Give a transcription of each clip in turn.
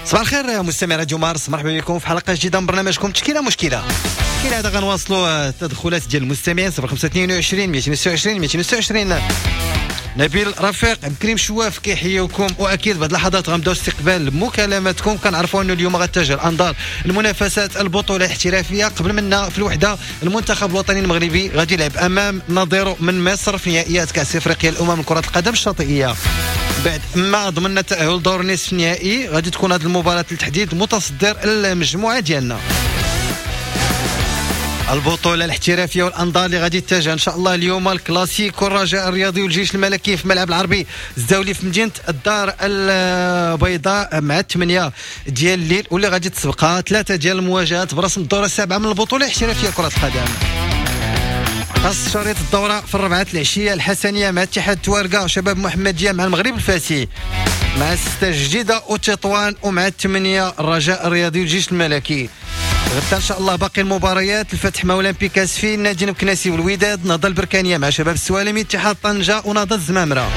صباح الخير مستمعي راديو مارس، مرحبا بكم في حلقة جديدة من برنامجكم تشكيله مشكلة. كالعادة غنواصلوا التدخلات ديال المستمعين 0522 226 226. نبيل رفيق، عبد الكريم شواف كيحييوكم، واكيد بعد لحظات غنبداو استقبال مكالماتكم. كنعرفوا انه اليوم غتجه الانظار المنافسات البطولة الاحترافية. قبل منا في الوحدة المنتخب الوطني المغربي غادي يلعب امام نظيره من مصر في نهائيات كاس افريقيا الامم لكرة القدم الشاطئيه. بعد ما ضمننا التاهل دور نصف النهائي غادي تكون هذه المباراة لتحديد متصدر المجموعة ديالنا. البطولة الاحترافية والأنظار اللي غادي تتجه إن شاء الله اليوم الكلاسيكو الرجاء الرياضي والجيش الملكي في ملعب العربي الزاولي في مدينة الدار البيضاء مع 8 ديال الليل، واللي غادي تسبقها 3 ديال المواجهات برسم الدورة السابعة من البطولة الاحترافية كرة القدم. خاص شريط الدورة في 4 العشية الحسنية مع اتحاد توارقة، شباب محمدية مع المغرب الفاسي، مع 6 جديدة وتطوان، ومع 8 الرجاء الرياضي والجيش الملكي. غدا ان شاء الله باقي المباريات: الفتح مع اولمبيك اسفي، النادي المكناسي والوداد، نهضة البركانيه مع شباب السوالمي، اتحاد طنجه ونهضه الزمامره.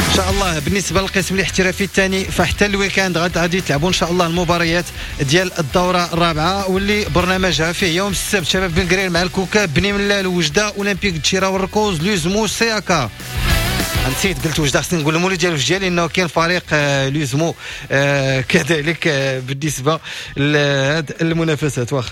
ان شاء الله بالنسبة للقسم الاحترافي الثاني فحتى ال week-end غادي تلعبوا ان شاء الله المباريات ديال الدورة الرابعة، واللي برنامجها فيه يوم السبت شباب بن قرير مع الكوكب، بني ملال، وجده، اولمبيك دشيره والركوز، لوزمو، سياكا. نسيت قلت وجده، خصني نقول المولي ديال وجده لانه كاين فريق لوزمو كذلك بالنسبة لهاد المنافسات. واخا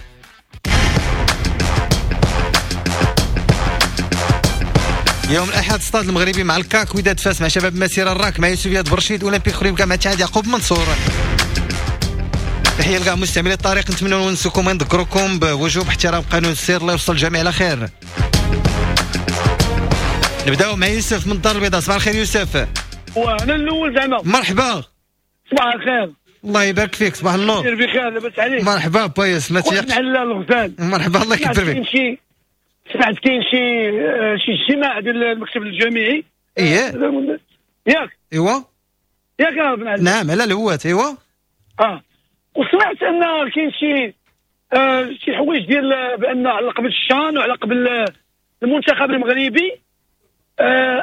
يوم الاحد ستاد المغربي مع الكاك، وداد فاس مع شباب مسيره، الراك مع يوسف ياد برشيد، اولمبيك خريبكا مع اتحاد يعقوب منصور. تحية لكاع مستعملي الطريق، نتمنى نونسكم ونذكركم بوجوب احترام قانون السير. الله يوصل الجميع على خير. نبداو مع يوسف من الدار البيضاء. صباح الخير يوسف. وانا الاول زعما. مرحبا. صباح الخير. الله يبارك فيك. صباح النور. بخير لاباس عليك. مرحبا با يوسف. ما تيقش على الغزال. مرحبا الله يكبر فيك. سمعت كاين شي اجتماع ديال المكتب الجامعي. ايه ياك. ايوا ياك بن علي. نعم على الهوات. ايوا وسمعت ان كاين شي حوايج ديال بان على قبل الشان وعلى قبل المنتخب المغربي،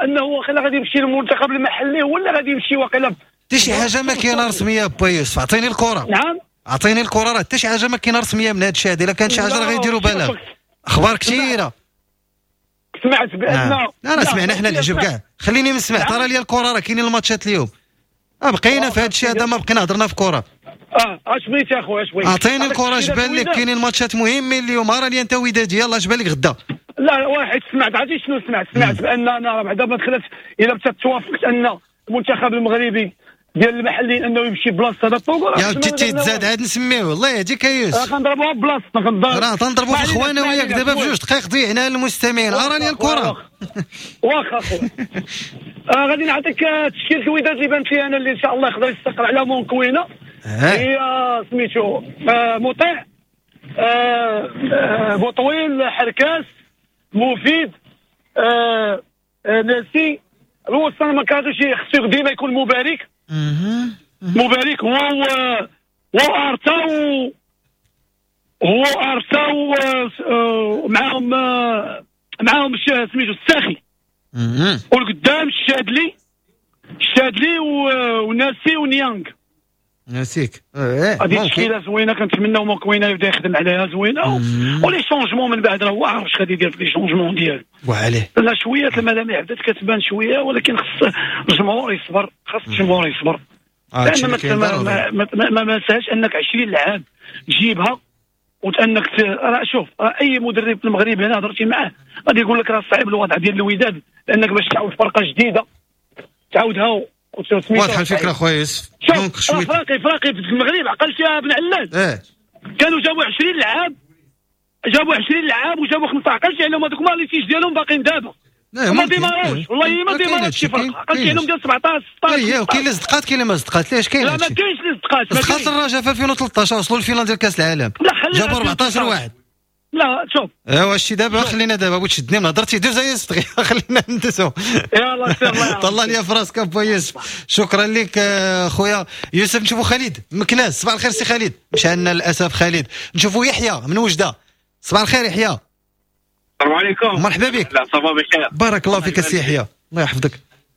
انه واقيلا غادي يمشي للمنتخب المحلي ولا غادي يمشي واقيلا حتى شي حاجة ما كاينه رسمية با يوسف. اعطيني الكره. نعم اعطيني الكره، راه حتى شي حاجة ما كاينه رسمية من هذا الشيء هذا. الا كانت شي حاجة راه غيديروا بلاغ. اخبار كثيرة سمعت بان نعم. لا سمعنا حنا العجب كاع. خليني نسمع. نعم. ترى لي الكره راه كاينين الماتشات اليوم. بقينا في هذا الشيء هذا، ما بقينا هضرنا في كره. اش بغيتي اخويا؟ اش بغيتي؟ اعطيني الكره. اش بان لك كاينين ماتشات مهمين اليوم؟ راه لي انت ودادي، يلاه اش بان لك غدا؟ لا واحد سمعت، عرفتي شنو سمعت؟ سمعت بان انا بعدا ما دخلت الى توافقت ان المنتخب المغربي ديال المحليين انه يمشي بلاصة هذا الطوغو. يا ودي تزاد عاد نسميوه. الله يهديك يا يوسف. غنضربوها بلاصتنا. راه تنضربوا في الخوانه وياك دابا بجوج دقائق ضيعنا للمستمعين. اراني الكره. واخا خويا غادي نعطيك تشكيله الوداد اللي بانت لي انا اللي ان شاء الله يقدر يستقر على مونكوينه. هي سميتو مطيع، بوطويل، حركاس، مفيد، ناسي. الوسط ما كانش خصو ديما يكون مبارك. مبارك هو ارتا هو ارتا معاهم سميتو الساخي. والقدام الشادلي وناسي ونيانغ. ناسيك. هذه تشكيله زوينة كنتمناو مكوينه يبدا يخدم عليها زوينة. و les changements من بعد راه هو عارف اش غادي يدير في les changements ديالو. وعليه لا شوية الملامح بدات كتبان شوية، ولكن خص الجمهور يصبر. خص الجمهور يصبر. لان ما نساش انك 20 لعاب تجيبها وانك راه شوف، راه اي مدرب في المغرب هنا هضرتي معاه غادي يقول لك راه صعيب الوضع ديال الوداد، لانك باش تعاود فرقه جديدة تعاودها. واضحة الفكرة خويا يوسف. donc شوية فراقي في المغرب عقلتي يا بن علال. كانوا جابوا 20 لعاب، جابوا 20 لعاب وجابوا 15. عقلتي عليهم هذوك ما les fiches ديالهم باقيين دابا. ما ديماروش والله ما ديماروش شي فرق. عقلتي عليهم ديال 17 16. اييه وكاين اللي صدقات كاين اللي ما صدقات. علاش كاين؟ لا ما كاينش اللي صدقات. صدقات الرجاء في 2013 وصلوا لل finale ديال كاس العالم، جابوا 14 واحد. لا شوف ايوا شتي دابا خلينا دابا بغيت تشدني من هضرتي دوز يا يوسف دغيا خلينا ندوزو. يلاه سير الله طلع لي في راسك با يوسف. شكرا لك خويا يوسف. نشوفوا خالد مكناس. صباح الخير سي خالد. مشى عندنا للاسف خالد. نشوفوا يحيى من وجده. صباح الخير يحيى. السلام عليكم. مرحبا بك. لا صباح بخير. بارك الله فيك السي يحيى، الله يحفظك.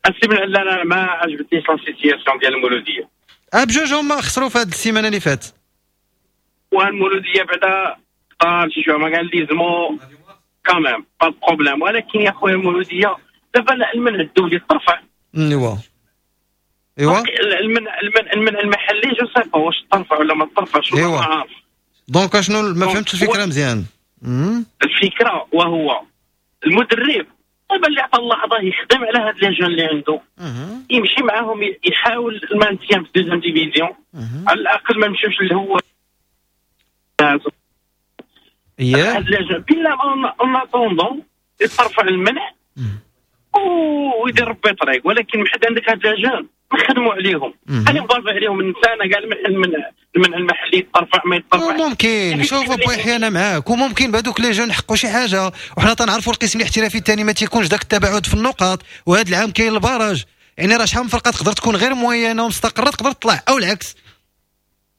السي بن علال انا ما عجبتنيش la situation ديال المولوديه. بجوج هما خسروا في هذه السيمانة اللي فاتت. والمولوديه بعدا قال شي شوية ما قال ليزمو quand même pas problème، ولكن يا خويا المولوديه دابا المنع الدولي ترفع. ايوا ايوا المنع المحلي je sais pas واش ترفع ولا ما ترفعش. ايوا donc شنو ما فهمتش الفكرة مزيان. الفكرة وهو المدرب دابا اللي عطى الله عطاه يخدم على هاد les jeunes اللي عنده، يمشي معاهم يحاول ال maintien في deuxième division، على الاقل ما نمشيوش اللي هو هاد les jeunes بلا en attendant يترفع المنع ويدير ربي طريق. ولكن محد عندك هاد les jeunes نخدموا عليهم، انا نبارف عليهم الانسان كاع المنع المحلي يترفع ما يترفع. ممكن شوف بويحيى انا معاك، وممكن بهذوك les jeunes نحققوا شي حاجة، وحنا تنعرفوا القسم الاحترافي الثاني ما تيكونش داك التباعد في النقاط، وهذا العام كاين ال barrage، يعني راه شحال من فرقه تقدر تكون غير moyenne ومستقره تقدر تطلع او العكس.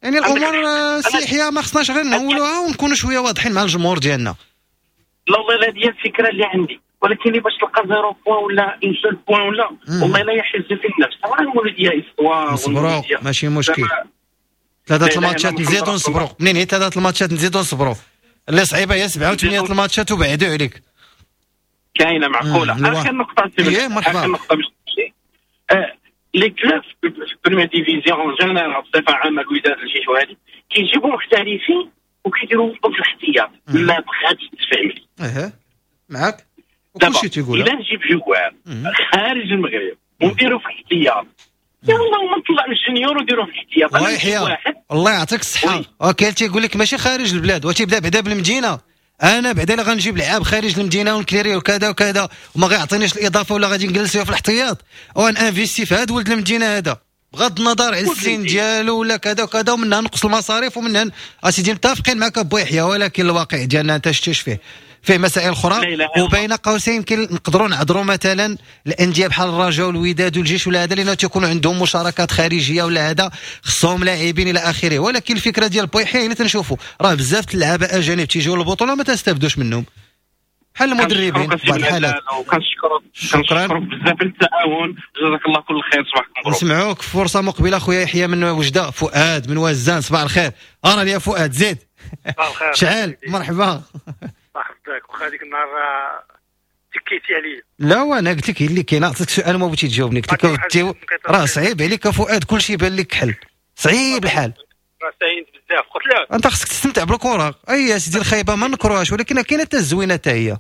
يعني الامور السياحية ما خصناش غير نهولوها ونكونوا شوية واضحين مع الجمهور ديالنا. لا والله هذه هي الفكرة اللي عندي، ولكن باش تلقى zéro point ولا un seul point ولا والله لا يحز في النفس. طبعا المولوديه histoire نصبروا ماشي مشكل، ثلاثة الماتشات نزيدو نصبروا، منين هي ثلاثة الماتشات نزيدو نصبروا، اللي صعيبة هي 7 و8 الماتشات وبعدوا عليك. كاينه معقولة. اخر نقطة مرحبا، اخر نقطة باش تمشي les clubs في première division en général بصفة عامة الوداد الجيش وهذه كيجيبوا محترفين وكيديروا في الاحتياط، ما بغاتش تفهم لي. معاك كلشي تيقول الا نجيب joueur خارج المغرب ونديرو في الاحتياط، يا والله ما نطلع من ال junior ونديرو في الاحتياط. الله يحيى الله يعطيك الصحة. كاين تيقول لك ماشي خارج البلاد وتيبدا بعدا بالمدينة، انا بعدا الا غنجيب لعاب خارج المدينة ونكليري وكذا وكذا وما غيعطينيش الاضافة ولا غادي نجلس في الاحتياط وان investir في هذا ولد المدينة هذا بغض النظر على السن ديالو ولا كذا وكذا، ومنها نقص المصاريف ومنها اسيدي متفقين معك ابو يحيى، ولكن الواقع ديالنا انت شتيش فيه مسائل اخرى. وبين قوسين يمكن نقدروا نعذروا مثلا الاندية بحال الرجاء والوداد والجيش ولا هذا لانه تيكونوا عندهم مشاركات خارجية ولا هذا خصهم لاعبين الى اخره، ولكن الفكرة ديال بويحيى اللي تنشوفوا راه بزاف اللعابه اجانب تيجيو للبطولة ما تستافدوش منهم بحال المدربين في بعض الحالات. كنشكرك بزاف على التعاون، جزاك الله كل خير، صباحكم مبروك. نسمعوك فرصة مقبله خويا يحيى من وجده. فؤاد من وزان صباح الخير. انا يا فؤاد زيد صباح الخير. شحال مرحبا. صاحبك واخا هذيك النهار تكيتي عليا. لا وانا قلت لك اللي كاين، عطيتك سؤال ما بغيتي تجاوبني، قلت لك راه صعيب عليك فؤاد كلشي يبان لك كحل، صعيب الحال. راه ساينت بزاف قلت لك انت خصك تستمتع بالكرة. اي يا سيدي الخايبة ما نكروهاش، ولكن كاينه حتى الزوينة حتى هي.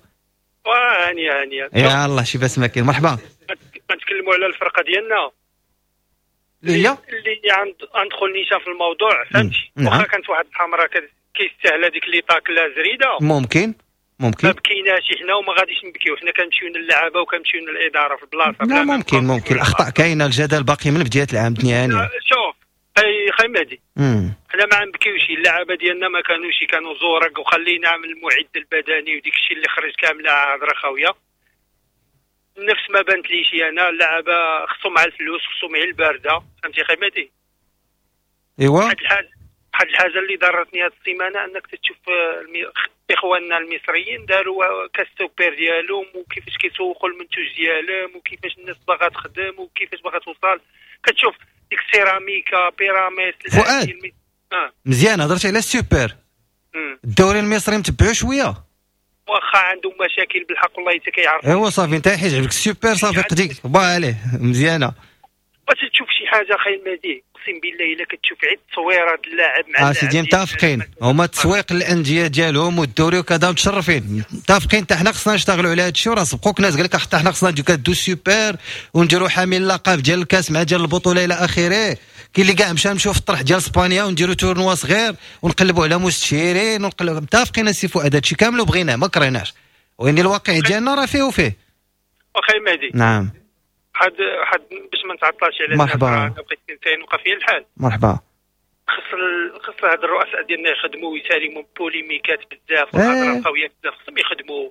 هانيه هانيه يا الله شي باس ما كاين. مرحبا. كنتكلموا على الفرقة ديالنا اللي هي اللي غندخل نيشان في الموضوع، فهمتي؟ واخا كانت واحد الحمراء كيستاهل هذيك اللي طاكله زريده، ممكن ما بكيناش حنا وما غاديش نبكيو، حنا كنمشيو للعابه وكنمشيو للادارة في البلاصة. لا ممكن الاخطاء كاينه، الجدل باقي من بداية العام الدنيا هانيه. شوف خي مهدي، حنا ما غنبكيوش، اللعابه ديالنا ما كانوش كانوا زورق، وخلينا من المعد البدني وديك الشيء اللي خرج كاملة هضره خاوية. نفس ما بانت ليش انا، اللعابه خصهم على الفلوس، خصهم على البارده، فهمتي خي مهدي؟ ايوا واحد الحاجة اللي ضرتني هذه السيمانة انك تشوف اخواننا المصريين داروا كاس سوبر ديالهم وكيفاش كيسوقوا المنتوج ديالهم وكيفاش الناس باغا تخدم وكيفاش باغا توصل. كتشوف ديك السيراميكا بيراميد فؤاد مزيان هضرتي على السوبر. الدوري المصري متبعو شوية واخا عندهم مشاكل بالحق والله حتى كيعرفوا. ايوا صافي انت حيت عجبك السوبر صافي قديك با عليه مزيانه. باش تشوف شي حاجة خاي المهدي اقسم بالله الا كتشوف عيد تصويره اللاعب مع سيدي متفقين هما التسويق الاندية ديالهم والدوري وكذا متشرفين متفقين. حتى حنا خصنا نشتغلوا على هذا الشيء، وراه سبقوك ناس قال لك حتى حنا خصنا نديرو سوبر ونديروا حامل اللقب ديال الكاس مع ديال البطولة الى اخره. كاين اللي كاع مشى نمشيو في الطرح ديال اسبانيا ونديروا tournoi صغير ونقلبوا على مستشيرين ونقلبوا. متفقين السي فؤاد هذا الشيء كامل وبغيناه ما كرهناش، وين الواقع ديالنا راه فيه وفيه. واخا مهدي نعم حد باش ما نتعطلش على مرحبا بقيت انسان وقع فيا الحال. مرحبا. خص هاد الرؤساء ديالنا يخدموا ويسالموا بوليميكات بزاف والهضره القوية بزاف، خصهم يخدموا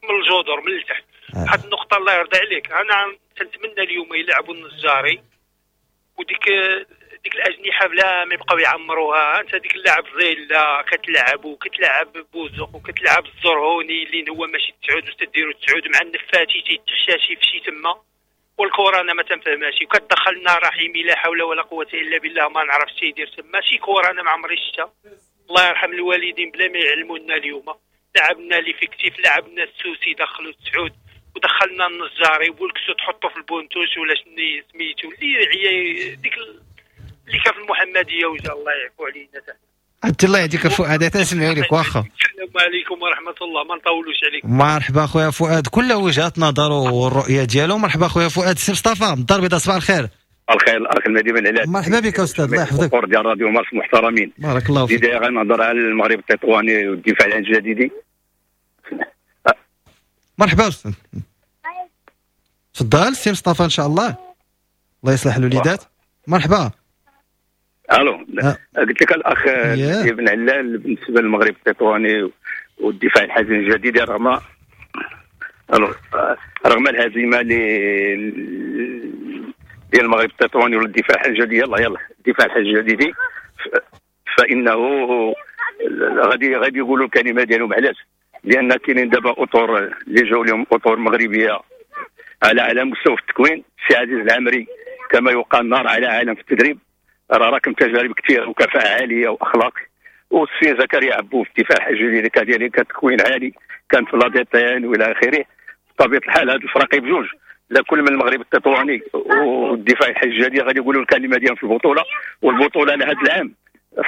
من الجذور من التحت. واحد النقطة الله يرضي عليك، انا تنتمنى اليوم يلعبوا النجاري وديك ديك الاجنحة بلا ما يبقاو يعمروها. انت ديك اللاعب زيلا كتلعب وكتلعب بوزق وكتلعب الزرهوني اللي هو ماشي تسعود وتديروا تسعود مع النفاتي تيتحشاشي في شي تما. والكره انا ما تنفهمهاش، وكتدخلنا رحيمي لا حول ولا قوة الا بالله، ما نعرفش يدير تما شي كره، انا ما عمري شفتها. الله يرحم الوالدين بلا ما يعلمونا اليوم، لعبنا l'effectif، لعبنا السوسي دخلوا السعود، ودخلنا النجاري والكسو تحطو في ال banc de touche ولا شنو سميتو اللي هي ديك اللي كان في المحمدية، وجا الله يعفو علينا. عبد الله يهديك فؤاد، تنسمعوا لك واخا. السلام عليكم ورحمة الله، ما نطولوش عليك. مرحبا خويا فؤاد، كل وجهات نظره والرؤية ديالو. مرحبا خويا فؤاد. سي مصطفى من الدار البيضاء، صباح الخير. الخير الاخ المهدي بن علال. مرحبا بك استاذ، الله يحفظك. الدكتور ديال راديو مارس محترمين، بارك الله فيك. بداية غنهضر على المغرب التطواني والدفاع عن الجديدي. مرحبا استاذ، تفضل سي مصطفى ان شاء الله، الله يصلح الوليدات. مرحبا. الو، قلت لك الاخ ابن علال، بالنسبة للمغرب التطواني والدفاع الحسني الجديد، رغم الهزيمة ديال المغرب التطواني والدفاع الحسني الجديد، يلا الدفاع الحسني الجديد، فانه غادي يقولوا الكلمة ديالهم. علاش؟ لان كاينين دابا اطر اللي جاوا لهم اطر مغربية على مستوى التكوين. السي عزيز العمري كما يقال نار على عالم في التدريب، راه راكم تجارب كثيرة وكفاءة عالية واخلاق. والسي زكريا عبو في الدفاع الجديد كذلك تكوين عالي، كان في la DTN والى اخره. بطبيعة الحال هاد الفرق بجوج، لا كل من المغرب التطواني والدفاع الجديد غادي يقولوا الكلمة ديالهم في البطولة، والبطوله لهذا العام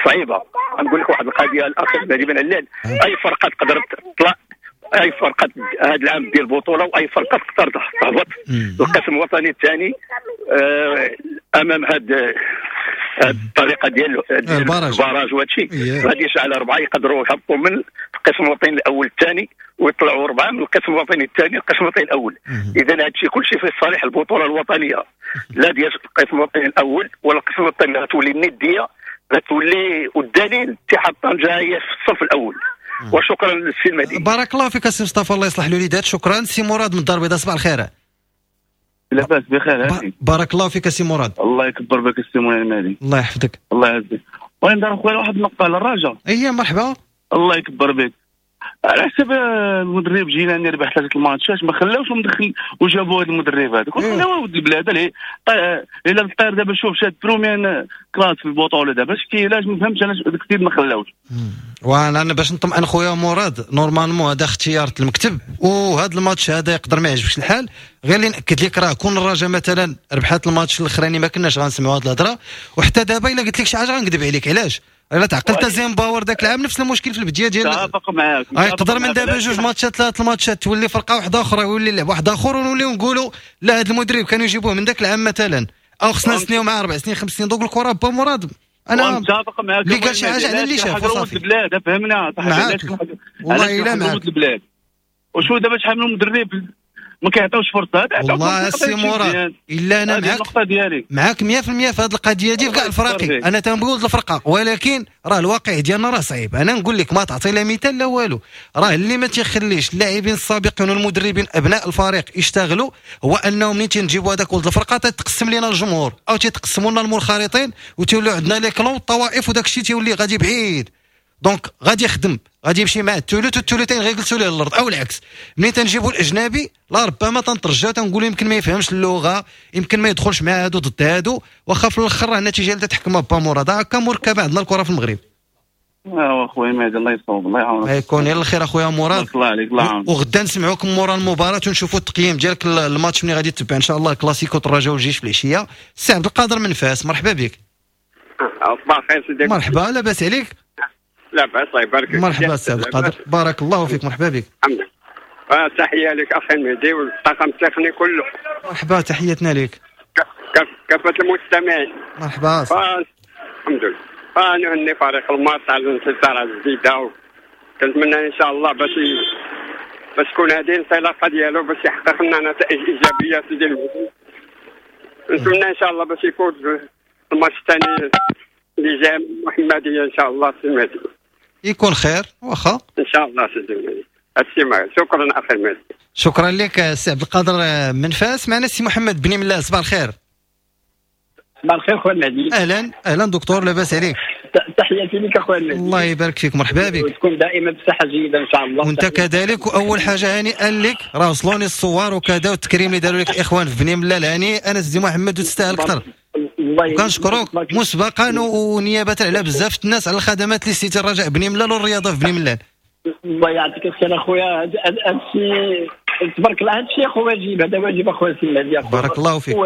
صعيبة. غنقول لك واحد القضية الاخ المهدي بن علال، اي فرقه تقدر تطلع، اي فرقه هذا العام ديال البطولة، واي فرقه تقدر تهبط القسم الوطني الثاني امام هاد الطريقة ديال ال barrage وهادشي. غادي يشعل اربعة يقدروا يهبطوا من القسم الوطني الاول الثاني، ويطلعوا اربعة من القسم الوطني الثاني القسم الوطني الاول. اذا هادشي كلشي في صالح البطولة الوطنية، لا ديال القسم الوطني الاول ولا القسم الوطني، غتولي الندية، غتولي. والدليل اتحاد طنجه هي في الصف الاول. وشكرا للسي المهدي. بارك الله فيك السي مصطفى، الله يصلح الوليدات. شكرا. سي مراد من الدار البيضاء، صباح الخير. لاباس بخير. بارك الله فيك السي مراد. الله يكبر بك السي المهدي. الله يحفظك. الله يعزك. بغيت ندير خويا واحد النقطة على الرجاء. اي مرحبا. الله يكبر بك. على حسب المدرب جيلاني ربح 3 الماتشات، ما خلاوش مدخل وجابوا هذا المدرب هذا، خلاوه ولد البلاد. الا الطير دابا شوف شاد première classe في البطولة دابا، شتي علاش ما فهمتش انا داك السيد ما خلاوش. وانا باش نطمئن خويا مراد، normalement هذا اختيار المكتب، وهذا الماتش هذا يقدر ما يعجبش الحال. غير اللي ناكد لك راه كون الرجاء مثلا ربحات الماتش الاخراني ما كناش غنسمعوا هذه الهضرة. وحتى دابا الا قلت لك شي حاجة غنكذب عليك. علاش؟ الا تعقلت زيمباور ذاك العام نفس المشكل في البداية ديال. متفق معاك. يقدر من دابا 2 ماتشات 3 الماتشات تولي فرقه واحدة اخرى، يولي لعب واحد اخر، ونوليو نقولوا لا هذا المدرب كانوا يجيبوه من ذاك العام مثلا، او خصنا نسنيو معاه 4 سنين 5 سنين. donc الكره با مراد انا متفق معاك. اللي قال شي حاجة على اللي شاف وصافي. البلاد فهمنا صاحبي، والله الا معاك البلاد. وشو دابا شحال من مدرب ما كيعطيوش فرصة. والله السي مراد الا انا معاك 100% في هذه القضية دي في كاع الفراقي. انا تنقول الفرقة، ولكن راه الواقع ديالنا راه صعيب. انا نقول لك ما تعطي لا مثال لا والو. راه اللي ما تيخليش اللاعبين السابقين والمدربين ابناء الفريق يشتغلوا هو انه منين تنجيبوا هذاك ولد الفرقة تتقسم لنا الجمهور او تيتقسموا لنا المنخرطين، وتولوا عندنا les clans الطوائف، وداك الشيء تيولي غادي بعيد. donc غادي يخدم، غادي يمشي مع الثلث والثلثين غيجلسوا ليه الارض، او العكس. ملي تنجيبوا الاجنبي لا ربما تنترجاو تنقولوا يمكن ما يفهمش اللغة، يمكن ما يدخلش مع هادو ضد هادو، واخا في الاخر راه النتيجة اللي تتحكمها با مراد. هكا مركبة عندنا الكره في المغرب. ايوا خويا مهدي الله يصوب، الله يعاونك. يكون يلا الخير اخويا مراد. الله عليك، الله يعاونك. وغدا نسمعوكم مورا المباراة ونشوفوا التقييم ديالك الماتش ملي غادي تتبع ان شاء الله كلاسيكو الرجاء والجيش في العشية. السي عبد القادر من فاس، مرحبا بك. صباح الخير سيدي. مرحبا، لاباس عليك؟ لا باس، الله يبارك فيك. مرحبا السي عبد القادر، بارك الله فيك، مرحبا بك. الحمد لله. تحية لك اخي المهدي والطاقم التقني كله. مرحبا، تحياتنا لك. كافة المستمعين. مرحبا. الحمد لله. نهني فريق الماس على الانتصار الجديدة، كنتمنى ان شاء الله باش تكون هذه الانطلاقة ديالو باش يحقق لنا نتائج ايجابية سيدي المهدي. نتمنى ان شاء الله باش يفوز الماتش الثاني اللي جاي المحمدية ان شاء الله سي المهدي. يكون خير واخا ان شاء الله سيدي المهدي. السي شكرا اخي المهدي. شكرا لك سي عبد القادر من فاس. معنا السي محمد بن ملال، صباح الخير. صباح الخير خويا المهدي. اهلا اهلا دكتور، لاباس عليك؟ تحياتي لك اخويا. الله يبارك فيك، مرحبا بك، وتكون دائما بصحة جيدة ان شاء الله. وانت كذلك. واول حاجة هاني قال لك راه وصلوني الصور وكذا والتكريم اللي داروا لك الاخوان في بني ملال، هاني انا سيدي محمد وتستاهل اكثر. وكنشكروك مسبقا ونيابه على بزاف الناس على الخدمات اللي سيتي الرجاء بني ملال والرياضة في بني ملال. الله يعطيك الخير اخويا، هذا الشيء تبارك الله، هذا الشيء اخو واجب، هذا واجب اخويا سي المهدي. بارك الله فيك.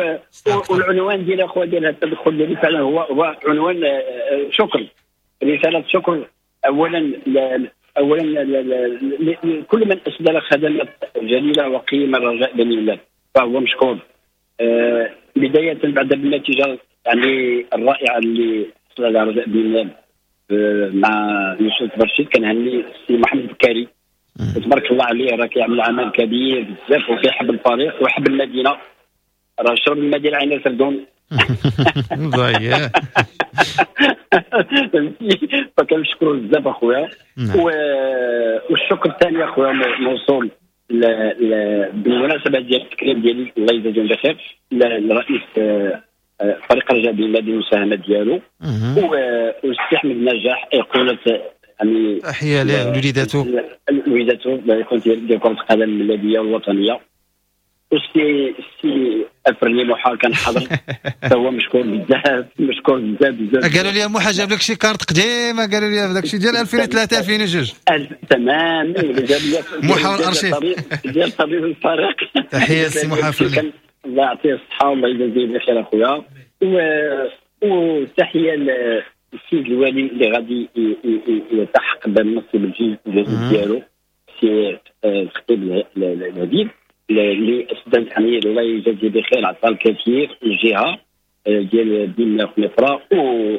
والعنوان ديال اخويا ديال هذا التدخل ديالي فعلا هو عنوان شكر، رسالة شكر اولا لكل من اسدل خدمات جليلة وقيمه الرجاء بني ملال، فهو مشكور. بداية بعد بالنتيجة يعني الرائعة اللي حصل على رجاء بني ملال مع يوسف برشيد، كنهني السي محمد بكاري تبارك الله عليه، راه كيعمل عمل كبير بزاف وكيحب الفريق ويحب المدينة، راه شرب المدينة عين سردون. فكنشكرو بزاف اخويا. والشكر الثاني اخويا موصول بالمناسبة ديال التكريم ديالي، الله يجازيهم بخير، لرئيس فريق الرجاء بني ملال المساهمة ديالو، والسي احمد نجاح ايقونة يعني تحية له ولوليداتو، وليداتو ديال كره القدم الملاليه والوطنيه. والسي افرني موحى كان حاضر، فهو مشكور بزاف، مشكور بزاف بزاف. قالوا لي موحى جاب لك شي كارت قديمة، قالوا لي داك الشيء ديال 2003 2002. تمام، جاب لي موحى والارشيف ديال طبيب الفريق. تحية للسي موحى افرني، الله يعطيه الصحة والله يجازيه بخير اخويا. وتحية للسيد الوالي اللي غادي يلتحق بالمنصب الجديد ديالو، السي الخطيب الهديب، اللي اسدل يعني الله يجازيه بخير، عطى الكثير للجهة ديال بني ملال خنيفره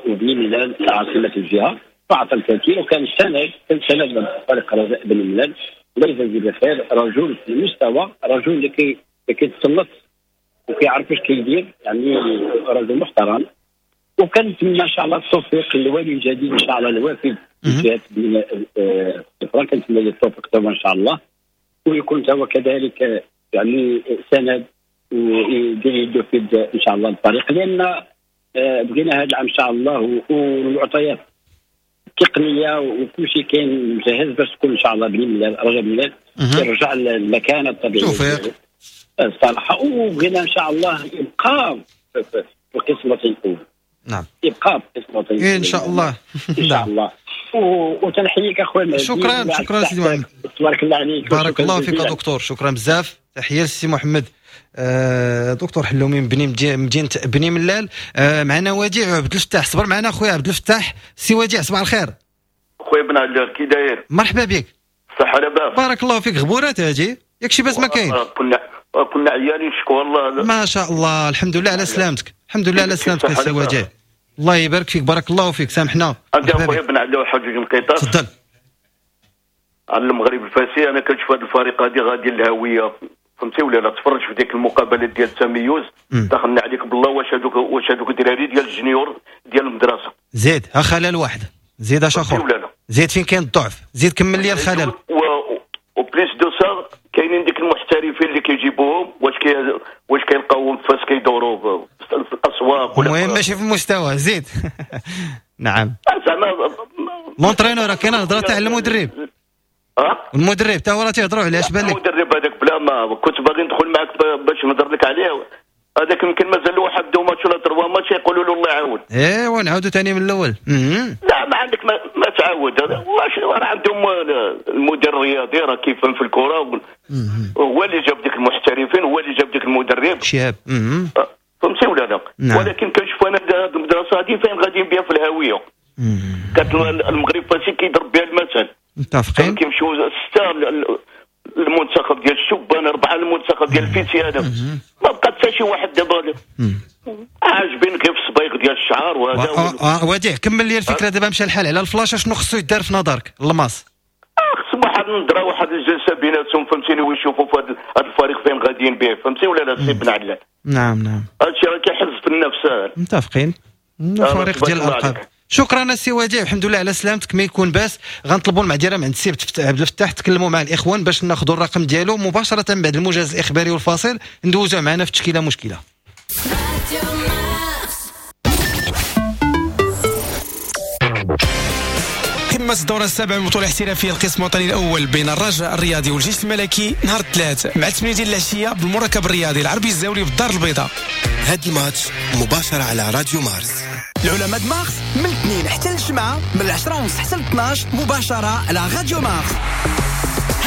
وبني ملال عاصمة الجهة، فعطى الكثير وكان سند، كان سند لفريق رجاء بني ملال. الله يجازيه بخير، رجل في المستوى، رجل اللي كيتصنت وكيعرف واش كيدير، يعني رجل محترم. وكنتمنى ان شاء الله التوفيق للوالي الجديد ان شاء الله الوافد جهة بني ملال، كنتمنى له التوفيق ان شاء الله، ويكون هو كذلك يعني سند ويدير يدو في ان شاء الله الفريق، لان بغينا هذا العام ان شاء الله والمعطيات التقنية وكل شيء كاين مجهز باش تكون ان شاء الله بني ملال رجاء بني ملال يرجع للمكانه الطبيعية توفيق الصراحة. وبغينا ان شاء الله يبقى في القسم الوطني الاول. نعم، يبقى في القسم الوطني ان شاء الله. ان شاء الله. وتنحييك اخويا. شكرا شكرا سيدي محمد، تبارك الله عليك، بارك الله فيك دكتور، شكرا بزاف. تحية للسي محمد دكتور حلومي من مدينة بني ملال. معنا وديع عبد الفتاح، صبر معنا خويا عبد الفتاح. سي وديع صباح الخير. خويا بن علال كي داير؟ مرحبا بك. صحة لاباس؟ بارك الله فيك. غبورات هادي ياك شي باس ما كاين؟ كنا عيالين شكون الله. ما شاء الله، الحمد لله على سلامتك، الحمد لله على سلامتك سي وديع، الله يبارك فيك، بارك الله فيك، سامحنا. عندي خويا بن علال واحد جوج نقيطات. تفضل. على المغرب الفاسي، انا كنشوف هذا الفريق هادي غادي للهوية، فهمتي ولا لا؟ تفرج في ديك المقابلة ديال التميز، دخلنا عليك بالله واش هذوك الدراري ديال ال junior ديال المدرسة. زيد ها خلل واحد، زيد اش اخر، زيد فين كاين الضعف، زيد كمل لي الخلل. و plus de ça كاينين ديك المحترفين اللي كيجيبوهم، واش كيلقاوهم فاش كيدوروا في الاسواق ولا المهم ماشي في المستوى. زيد نعم زعما l'entraîneur كاين هضره تاع المدرب. المدرب تا هو راه تيهضروا عليه، اش بان لك؟ المدرب هذاك بلا ما كنت باغي ندخل معاك باش نهضر لك عليه، هذاك يمكن مازال له واحد deux matchs ولا trois matchs يقولوا له الله يعاون. ايوا نعاودوا ثاني من الاول. لا ما عندك ما تعاود، واش راه عندهم المدير الرياضي راه كيفهم في الكره، هو اللي جاب ديك المحترفين، هو اللي جاب ديك المدرب شهاب. فهمتي ولا لا؟ نعم. ولكن كنشوف انا هذه المدرسة هذه فين غاديين بها في الهاوية. كانت المغرب فاسي كيضرب بها المثل. متفقين. كيمشيو ستة المنتخب ديال الشبان، 4 المنتخب ديال الفيتي، هذا ما بقى حتى شي واحد دابا عاجبين غير في الصبايغ ديال الشعر وهذا. وديع كمل لي الفكرة دابا، مشى الحال على الفلاش، شنو خصو يدار في نظرك الماس؟ خص واحد النظرة، واحد الجلسة بيناتهم، فهمتيني، ويشوفوا في هذا الفريق فين غاديين به، فهمتي ولا لا سي بن عدلان؟ نعم نعم، هادشي راه كيحز في النفس. متفقين، الفريق ديال الالقاب. شكرا السي وديع، الحمد لله على سلامتك. ما يكون باس، غنطلبوا المعذره من عند السي عبد الفتاح، تكلموا مع الاخوان باش ناخذوا الرقم ديالو مباشرة بعد الموجز الاخباري والفاصل، ندوزو معنا في تشكيله مشكلة. تتمة الدورة السابعة من البطولة الاحترافية القسم الوطني الأول بين الرجاء الرياضي والجيش الملكي نهار الثلاث مع 8 ديال العشية بالمركب الرياضي العربي الزاولي بالدار البيضاء. هاد الماتش مباشرة على راديو مارس. العلماء مارس من الاثنين حتى الجمعة من 10:30 حتى 12 مباشرة على راديو مارس.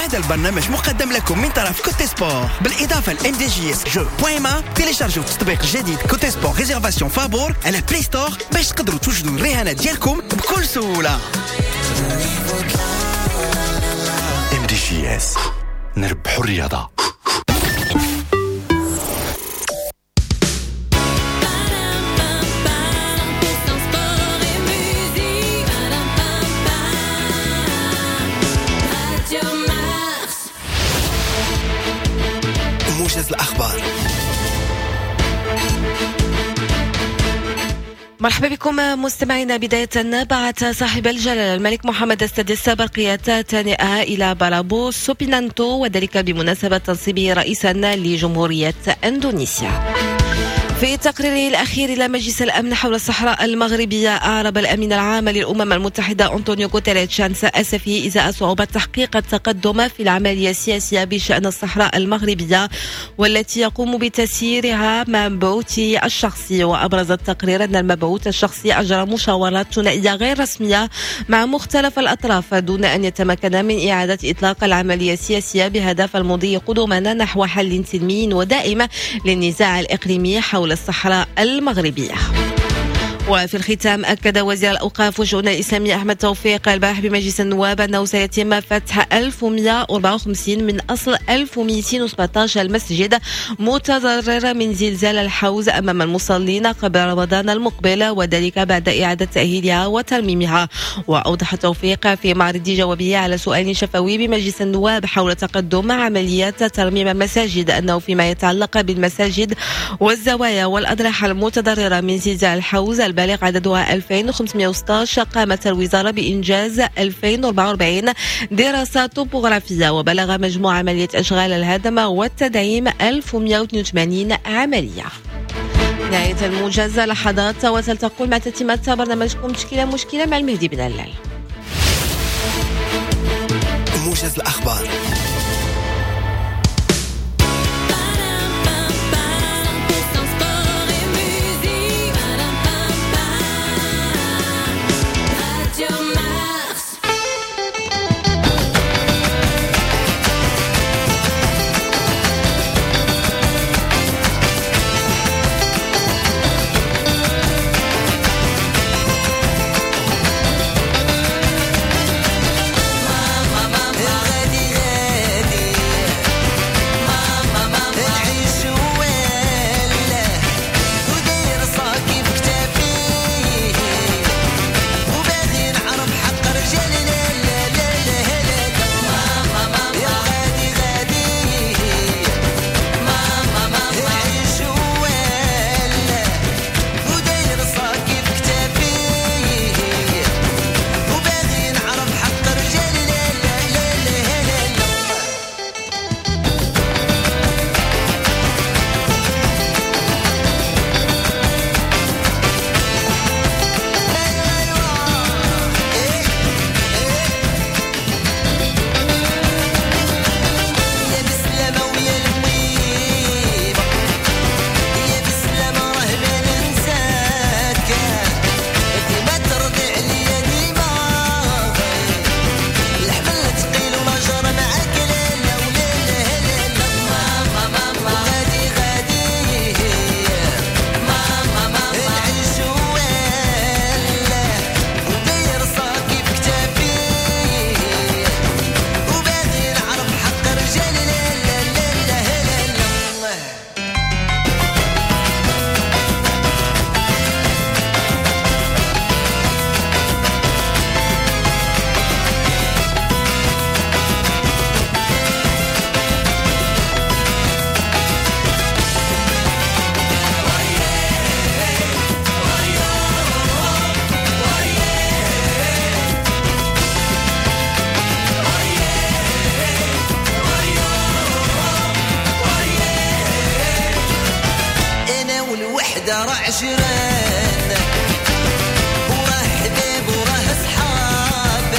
هذا البرنامج مقدم لكم من طرف Cote Sport بالإضافة ل MDJS jeux point ma. تيليشارجوا التطبيق الجديد Cote Sport réservation فابور على Play Store باش تقدروا توجدوا الرهانات ديالكم بكل سهولة. MDJS نربحوا الرياضة. موجز الأخبار. مرحبا بكم مستمعينا. بداية بعث صاحب الجلالة الملك محمد السادس برقية تهنئة إلى برابو سوبينانتو وذلك بمناسبة تنصيبه رئيسا لجمهورية أندونيسيا. في تقريره الأخير إلى مجلس الأمن حول الصحراء المغربية أعرب الأمين العام للأمم المتحدة أنطونيو غوتيريش عن أسفه إزاء صعوبة تحقيق التقدم في العملية السياسية بشأن الصحراء المغربية والتي يقوم بتسييرها مبعوثه الشخصي. وأبرز التقرير أن المبعوث الشخصي أجرى مشاورات ثنائية غير رسمية مع مختلف الأطراف دون أن يتمكن من إعادة إطلاق العملية السياسية بهدف المضي قدما نحو حل سلمي ودائم للنزاع الإقليمي حول الصحراء المغربية. وفي الختام أكد وزير الأوقاف والشؤون الإسلامية أحمد توفيق البارح بمجلس النواب أنه سيتم فتح 1154 من أصل 1217 المسجد متضرر من زلزال الحوز أمام المصلين قبل رمضان المقبل، وذلك بعد إعادة تأهيلها وترميمها. وأوضح توفيق في معرض جوابه على سؤال شفوي بمجلس النواب حول تقدم عمليات ترميم المساجد أنه فيما يتعلق بالمساجد والزوايا والأضرحة المتضررة من زلزال الحوز البالغ عددها 2516 قامت الوزارة بإنجاز 2044 دراسة طبوغرافية، وبلغ مجموع عملية أشغال الهدم والتدعيم 1182 عملية. نهاية الموجز لحظات وتلتقون مع تتمة برنامجكم مشكلة مشكلة مع المهدي بن علال. موجز الأخبار. عشران وراه حباب وراه صحاب.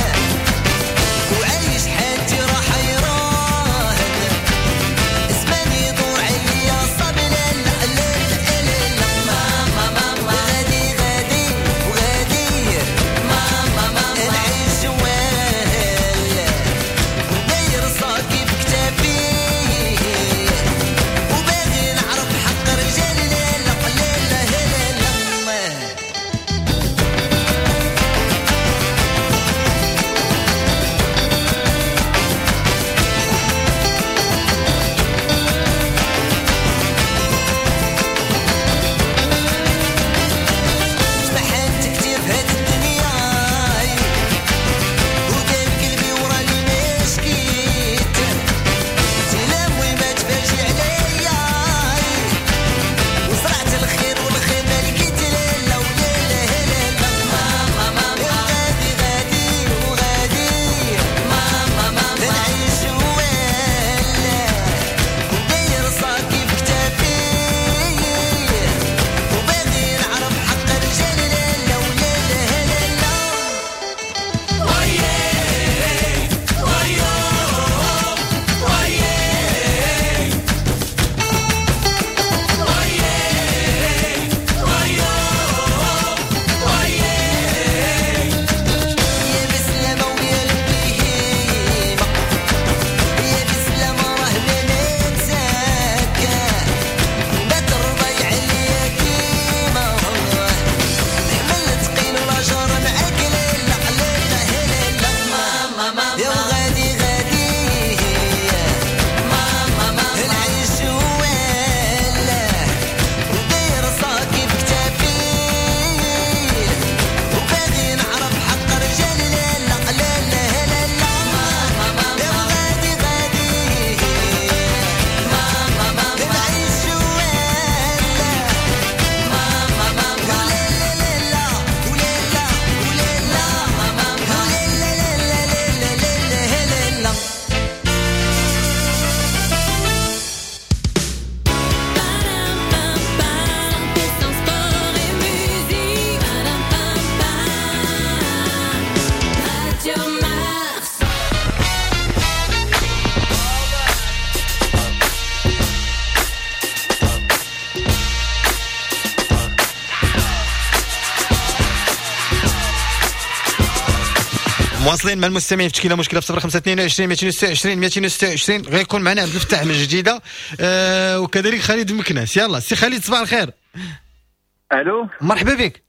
مواصلين مع المستمعين في تشكيله مشكلة في 0522 226 226. غيكون معنا عبد الفتاح من جديدة وكذلك خالد مكناس. يلا سي خالد صباح الخير. الو مرحبا بك.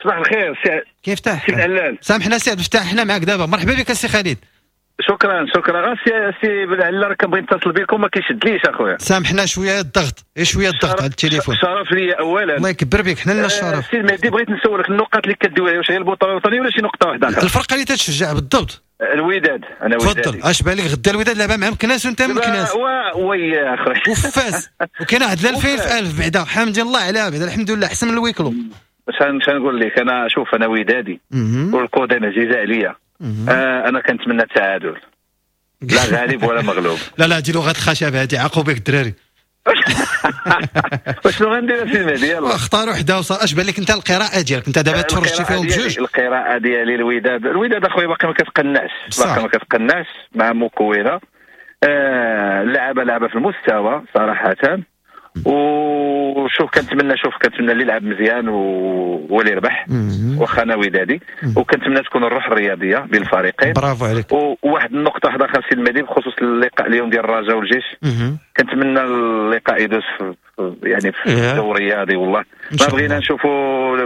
صباح الخير سي كيف تاح؟ سي العلال. سامحنا سي عبد الفتاح حنا معاك دابا. مرحبا بك سي خالد. شكرا شكرا. سي بالعلال راه كنبغي نتصل بكم ما كيشدليش اخويا. سامحنا شوية الضغط، شوية الضغط على التليفون. شرف لي اولا. الله يكبر بك، حنا لنا الشرف. سي المهدي بغيت نسولك النقط اللي كدوي عليها واش هي البطولة الوطنية ولا شي نقطة واحدة؟ الفرقة اللي تتشجع بالضبط. الوداد. انا ودادي. تفضل. اش بالك غدا الوداد لعبه مع مكناس وانت مكناس. oui اخويا. وفاس وكاين واحد 2000 في 1000 بعدا، حمد الله عليها بعدا، الحمد لله احسن من ال huis clos. اش نقول لك انا، شوف انا ودادي والقدام عزيزه عليا. انا كنتمنى التعادل، لا غالب ولا مغلوب. لا لا دي لغة الخشب هذه، عاقوا بك الدراري. وشنو غندير سي المهدي؟ يلا اختار وحده وصار. اش بان لك انت القراءة ديالك انت دابا تفرجتي فيهم بجوج؟ القراءة ديالي الوداد، الوداد اخويا باقي ما كتقنعش، باقي ما كتقنعش مع مكونة. لعبه لعبه في المستوى صراحة. وشوف كنتمنى، شوف كنتمنى اللي يلعب مزيان هو اللي يربح، واخا انا ودادي، وكنتمنى تكون الروح الرياضية بين الفريقين. برافو عليك. وواحد النقطة واحدة اخرى سي المهدي بخصوص اللقاء اليوم ديال الرجاء والجيش، كنتمنى اللقاء يدوز في يعني في جو رياضي. والله ما بغينا نشوفوا،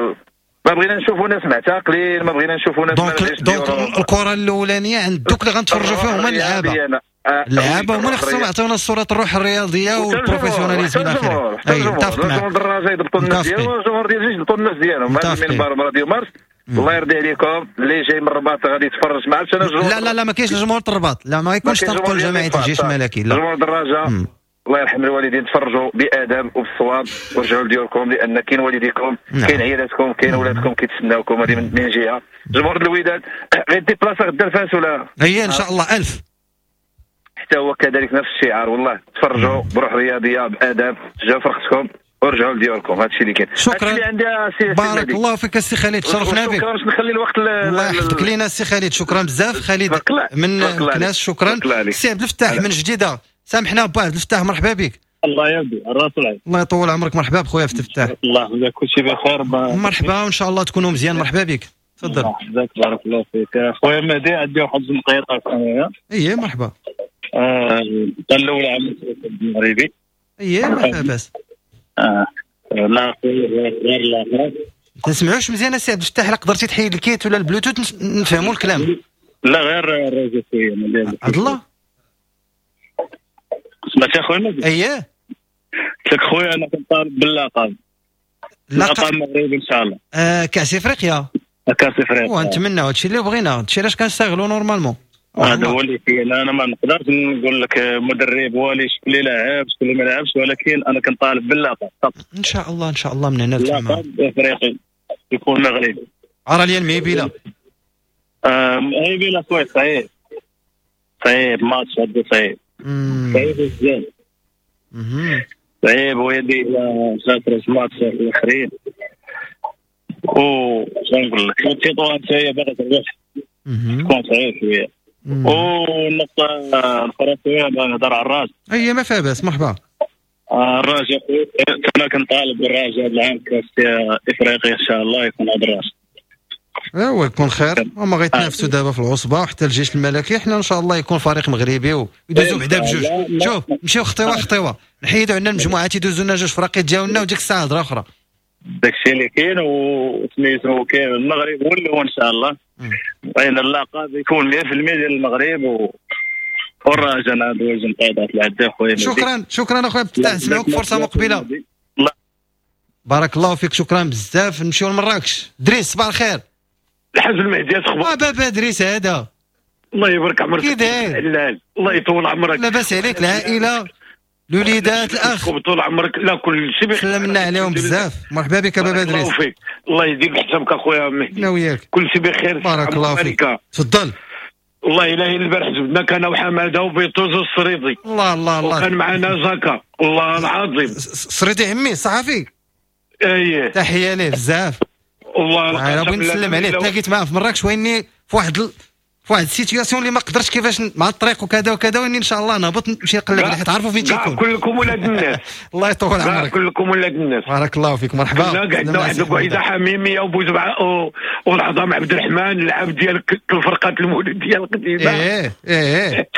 ما بغينا نشوفوا ناس معتقلين، ما بغينا نشوفوا ناس. donc الكره الاولانية عند دوك اللي غنتفرجوا فيهم هما اللعابه، اللعابه هما اللي خصهم يعطيونا صوره الروح الرياضية وال professionnalisme الى اخره. اي متفق معاك. الجمهور الرجاء يضبطوا الناس ديالهم، والجمهور ديال الجيش يضبطوا الناس ديالهم. هذا من راديو مارس. الله يرضي عليكم. اللي جاي من الرباط غادي يتفرج، ما عرفتش انا. لا لا لا ما كاينش الجمهور الرباط، لا ما يكونش تنقل جماعة الجيش الملكي. لا جمهور الرجاء الله يرحم الوالدين، تفرجوا بادب وبالصواب ورجعوا لديوركم، لان كاين والديكم، كاين عيالاتكم، كاين ولادكم كيتسناوكم. هذه من جهة. جمهور الوداد غير déplaça غدا الفاس ولا هي ان شاء الله 1000 حتى هو كذلك نفس الشعار. والله تفرجوا بروح رياضية بادب، شجعوا فرقتكم ورجعوا لديوركم. هذا الشيء اللي كاين. شكرا اللي عندي سي بارك الله فيك السي خالد، شرفنا بك. شكرا. باش نخلي الوقت الله يحفظك لينا السي خالد، شكرا بزاف خالد من مكناس. شكرا سي عبد الفتاح من جديدة. سامحنا با عبد الفتاح، مرحبا بك. الله يرضي الراس والعين. الله يطول عمرك. مرحبا بخويا عبد الفتاح. الله يحفظك، كلشي بخير. مرحبا وان شاء الله تكونوا مزيان. مرحبا بك، تفضل. الله يحفظك، بارك الله فيك خويا مهدي. عندي واحد النقيطه انايا. ايه مرحبا. الاولى عام المغربي. ايه مرحبا باس. لا غير لا تسمعوش مزيان السي عبد الفتاح، لا قدرتي تحيد ال kit ولا البلوتوث نفهموا الكلام. لا غير الرجل شوية عبد الله. سمعتي اخويا مهدي؟ اييه قلت لك خويا انا كنطالب باللقب، اللقب المغربي ان شاء الله. كاس افريقيا. كاس افريقيا ونتمنى هادشي اللي بغينا، هادشي علاش كنشتغلوا normalement. هذا هو اللي كاين. انا ما نقدرش نقول لك مدرب هو اللي شكون اللي لعب شكون اللي ما لعبش، ولكن انا كنطالب باللقب. ان شاء الله ان شاء الله من هنا لتما اللقب افريقي يكون مغربي. ارى لي المهيبيله. مهيبيله خويا صعيب، صعيب ماتش هذا، صعيب صعيب بزاف، صعيب. ويدي خاطر ماتش الاخرين و شنو نقول لك، تطوان حتى هي باغا تربح، تكون صعيب شوية. والنقطة الاخرى خويا باغي نهضر على الراس. اي ما فيها باس، مرحبا. الراجا خويا انا كنطالب بالراجا هذا العام كاس افريقيا ان شاء الله يكون هذا الراس. ايوا يكون خير. هما غيتنافسوا دابا في العصبة وحتى الجيش الملكي. حنا ان شاء الله يكون فريق مغربي ويدوزوا بعدا بجوج. شوف نمشيو خطيوه خطيوه، نحيدوا عندنا المجموعات يدوزوا لنا جوج فراقي ديالنا وديك الساعة هضره اخرى. داكشي اللي كاين وسميتو كاين المغرب هو اللي هو ان شاء الله. بغينا اللقب يكون 100% ديال المغرب والرجاء. انا دوز نقيضات العدة خويا. شكرا شكرا اخويا عبد الفتاح، نسمعوك فرصة مقبله. بارك الله فيك، شكرا بزاف. نمشيو لمراكش. دريس صباح الخير. الحاج المهدي اخبار؟ بابا دريس هذا. الله يبارك عمرك. كي داير؟ الله يطول عمرك. لاباس عليك؟ العائلة، الوليدات، الاخ؟ طول عمرك. لا كل شيء بخير. سلمنا عليهم بزاف. مرحبا بك بابا دريس. الله فيك، الله يدير بحسابك اخويا مهدي. انا وياك. كل شيء بخير. بارك الله فيك. تفضل. والله الا البارح جبنا كان وحماده وبيطوز والسريدي. الله الله الله. وكان معنا زكا والله العظيم. سريدي عمي صحفي. اييه تحية ليه بزاف. والله العظيم بغيت نسلم عليه، تلاقيت معاه في مراكش ويني في واحد في واحد ال situation اللي ما قدرتش كيفاش مع الطريق وكذا وكذا، واني ان شاء الله نهبط نمشي نقلب عليه حيت عارفوا فين تيكون. كلكم ولاد الناس. الله يطول عمرك. كلكم ولاد الناس. بارك الله فيك، مرحبا. قعدنا واحد القعيده حميمية وبوزبعه والعظام عبد الرحمن العاب ديال الفرقات المولوديه القديمة. ايه ايه.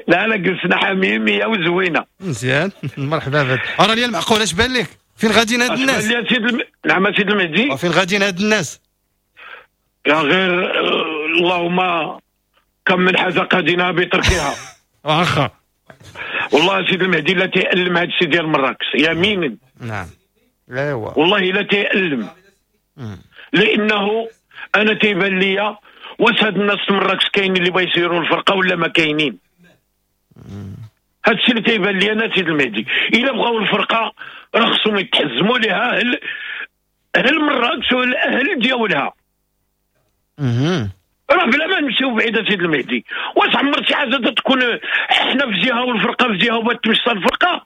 لا لا جلسنا حميمية وزوينه. مزيان. مرحبا بك. راه لي المعقول اش بان لك؟ فين غاديين هاد الناس؟ نعم سيد المهدي. فين غاديين هاد الناس؟ يا غير اللهم كم من حاجة قادنا بتركها. واخا والله سيد المهدي لا تيألم هذا الشيء ديال مراكش يمينا. نعم ايوا والله لا تيألم، لانه انا تيبان ليا واش هاد الناس في مراكش كاينين اللي بغا يسيروا الفرقة ولا ما كاينين. هاد الشيء اللي تيبان لي انا سيد المهدي، الا بغاو الفرقة راه خصهم يتحزموا لها اهل مراكش والاهل ديالها. راه بلا ما نمشيو بعيد سيد المهدي، واش عمر شي حاجة تكون حنا في جهة والفرقة في جهة وبات تمشى الفرقة؟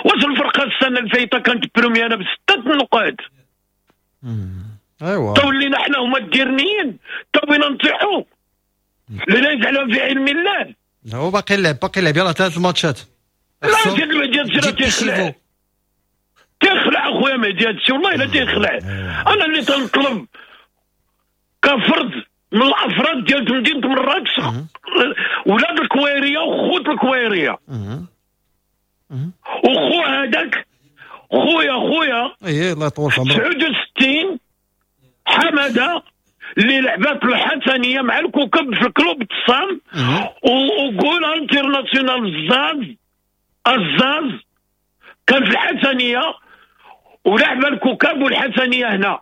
واش الفرقة السنة الفايته كانت première ب6 نقاط؟ ايوا تولينا حنا هما الديرنيين، تولينا نطيحوا لا يجعلها في علم الله. هو باقي اللعب، باقي اللعب، يلاه 3 الماتشات. لا سيد المهدي هادشي راه تيخلع، تيخلع اخويا مهدي هادشي والله الا تيخلع. انا اللي تنطلب كفرد من الافراد ديال مدينة مراكش، ولاد الكويريه وخوت الكويريه، وخو هذاك خويا ايه الله يطول في عمرك 69 حمادة اللي لعبات الحسنيه مع الكوكب في club الصام، و goal international الزاز كان في الحسنيه ولعب الكوكب والحسنيه هنا.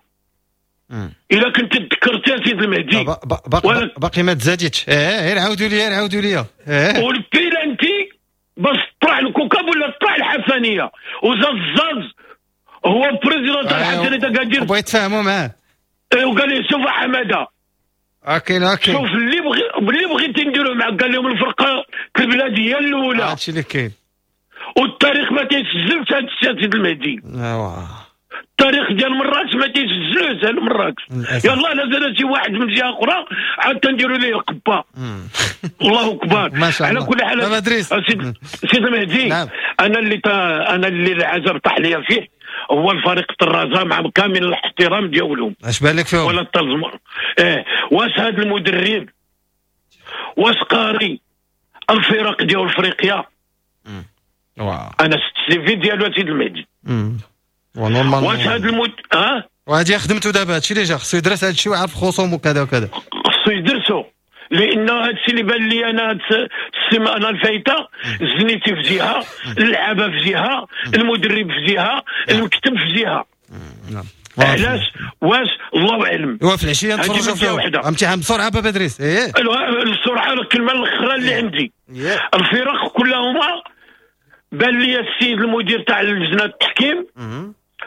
الا كنت تذكرت يا سيد المهدي باقي ما تزادتش. ايه عاودوا لي، عاودوا لي. والبيلانتي باش طلع الكوكب ولا طلع الحسنيه، وزاز الزاز هو président تاع الحسنيه كادير بغيت تفاهموا معاه. وقال لي شوف حمادة okay شوف اللي بغيتي نديرو معاك. قال لهم الفرقة البلاد هي الاولى، هادشي اللي كاين، والتاريخ ما تيسجلش هاد الشيء سيد المهدي. التاريخ ديال مراكش ما تيسجلوش هاد مراكش. يلاه نزل شي واحد من جهة اخرى عاد تنديروا ليه القبة. الله اكبر. على كل حال سيد المهدي، نعم. انا اللي العجب طاح ليا فيه هو الفريق الرجاء مع كامل الاحترام ديالهم. اش بان لك فيهم؟ ولا التلزم. واش هذا المدرب واش قاري الفرق ديال افريقيا؟ انا شفت ال CV ديالو سيد المهدي. واش هذا وهادي خدمته دابا، هادشي اللي جا خصو يدرس هادشي ويعرف خصومه وكذا وكذا، خصو يدرسو. لان هادشي اللي بان لي انا هاد السيمانة الفايته، الزنيتي في جهة، اللعابه في جهة، المدرب في جهة، المكتب في جهة. نعم. علاش؟ واش الله اعلم. وفي العشية نتفرجوا فيهم امتحان بسرعة بابا ادريس. ايه السرعة الكلمة الاخرى اللي عندي. الفرق كلهما بان لي السيد المدير تاع لجنة التحكيم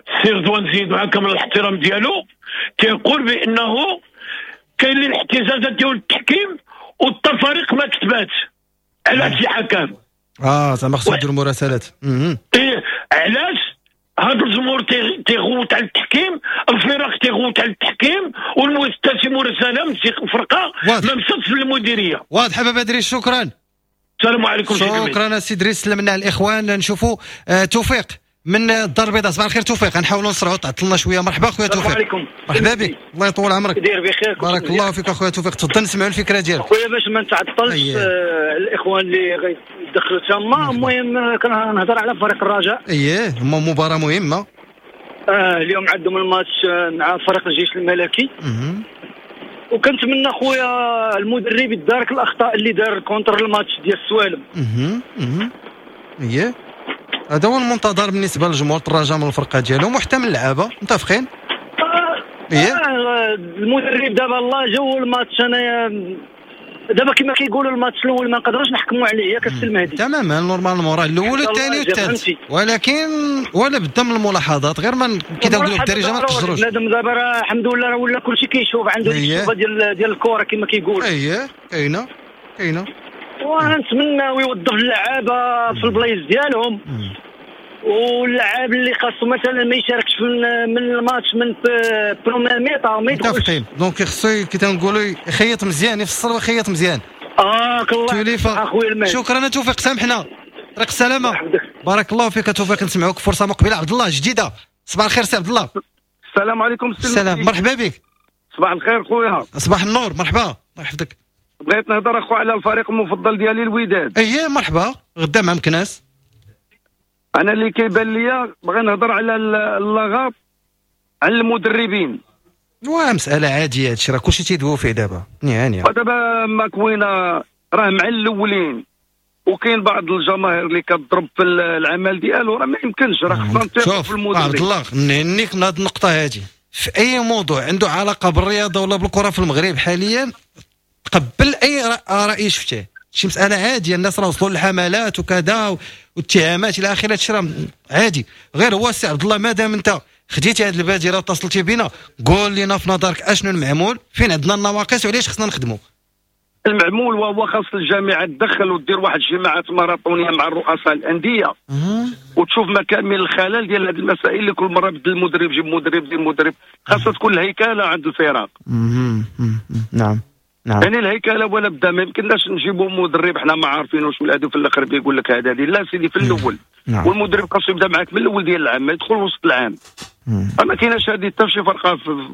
السي رضوان زيد مع كامل الاحترام ديالو تيقول بانه كاين اللي الاحتجاجات ديال التحكيم والتفاريق ما كتباتش على شي حكم. زعما خصو يديروا مراسلات. ايه علاش هذا الجمهور تيغوت على التحكيم، الفرق تيغوت على التحكيم، والمستشفى مراسله من شي فرقه ما مشاتش للمديريه. واضح بابا ادريس، شكرا. السلام عليكم. شكرا سي ادريس. سلمنا على الاخوان. نشوفوا توفيق من الدار البيضاء. صباح الخير توفيق، غنحاولوا نسرعوا تعطلنا شوية. مرحبا خويا توفيق. السلام عليكم. مرحبا بك، الله يطول عمرك. داير بخير، بارك الله فيك اخويا توفيق. تفضل نسمعوا الفكرة ديالك خويا باش ما نتعطلش. الاخوان اللي غيدخلوا تما. المهم كنهضر على فريق الرجاء. اييه مباراة مهمة. اليوم عندهم الماتش مع فريق الجيش الملكي. وكنتمنى خويا المدرب يدارك الاخطاء اللي دار contre الماتش ديال السوالم. اييه هذا هو المنتظر بالنسبة لجمهور الرجاء من الفرقة ديالهم وحتى من اللعابه. متفقين؟ المدرب دابا الله جو الماتش. انايا دابا كما كيقولوا الماتش الاول ما نقدروش نحكموا عليه ياك السي المهدي. تماما، normalement راه الاول والثاني والثالث، ولكن ولا بدا من الملاحظات غير ما كيداولوا بالدارجة ما تقدروش. بنادم دابا راه الحمد لله راه ولا كلشي كيشوف عنده الشوفه ديال الكره كما كيقول. اييه كاينه كاينه. ونتمنى يوظف اللعابه في البلايص ديالهم. واللاعب اللي خاصو مثلا ما يشاركش من الماتش من première mi-temps ما يدخلش. متفقين. donc خصو كي تنقولوا يخيط مزيان، يفسر ويخيط مزيان. الله اخويا المهدي. شكرا توفيق، سامحنا، طريق السلامة. بارك الله فيك توفيق، نسمعوك فرصة مقبله. عبد الله جديدة، صباح الخير سي عبد الله. السلام عليكم. السلام، مرحبا بك. صباح الخير خويا. صباح النور، مرحبا، الله يحفظك. بغيت نهضر اخو على الفريق المفضل ديالي الوداد. اييه مرحبا، غدا مع مكناس. انا اللي كيبان ليا بغي نهضر على اللغط على المدربين. مسألة عادية هادشي، راه كلشي تيدويو فيه دابا. يعني دابا ماكوينة راه مع الاولين، وكاين بعض الجماهير اللي كتضرب في العمل ديالو، راه ما يمكنش، راه خصنا نثيقوا في المدرب. عبد الله نهنيك من هاد النقطة هادي. في أي موضوع عنده علاقة بالرياضة ولا بالكرة في المغرب حاليا، تقبل أي رأي شفتيه. شي مسألة عادية، الناس راه وصلوا للحملات وكذا واتهامات إلى آخره، هادشي راه عادي. غير هو السي عبد الله مادام أنت خديتي هاد البادرة واتصلتي بنا، قول لنا في نظرك أشنو المعمول، فين عندنا النواقص وعلاش خصنا نخدموا. المعمول وهو خاص الجامعة تدخل ودير واحد الجماعات ماراطونيه مع الرؤساء الاندية وتشوف مكامن الخلل ديال هذه المسائل اللي كل مرة بدل المدرب، جيب مدرب، دير مدرب. خاصها تكون الهيكله عند الفرق. نعم نعم، يعني الهيكله ولا بدا، ما يمكنناش نجيبوا مدرب حنا ما عارفينوش ولا هذا في الاخر بيقول لك هذا لا سيدي في الاول. نعم. والمدرب خاصو يبدا معاك من الاول ديال العام، ما يدخل وسط العام. ما كايناش هذه حتى شي فرقه في